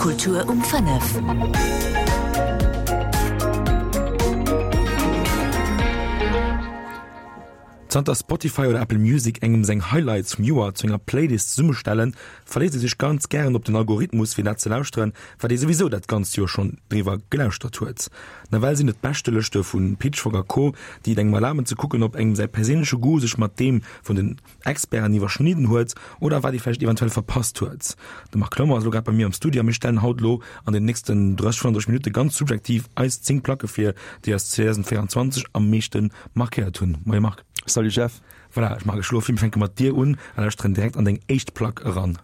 Kultur um 5. Zanter Spotify oder Apple Music engem seng Highlights vum Joer zu enger Playlist zesummestellen, verléisst ee sech ganz gären op den Algorithmus fir dat ze lauschteren, wat ee souwisou dat ganzt Joer schonn driwwer gelauschtert huet. Nawell sinn et d'Beschtelëschte vu Pitchfork a Co, déi et engem erlaben ze kucken, ob engem säi perséinleche Goût sech mat deem vun den Experten iwwerschnidden huet oder wat ee vläicht eventuell verpasst huet. De Marc Clement ass elo grad bei mir am Studio a mir stellen haut elo an den nächsten 30, 35 Minutte ganz subjektiv eis 10 Placke vir, déi eis 2024 am meeschte markéiert hunn. Moie Marc. Salut Jeff. Voilà, ech maache elo vir, mir fänke mat dir un a lauschteren direkt an deng éischt Plack eran.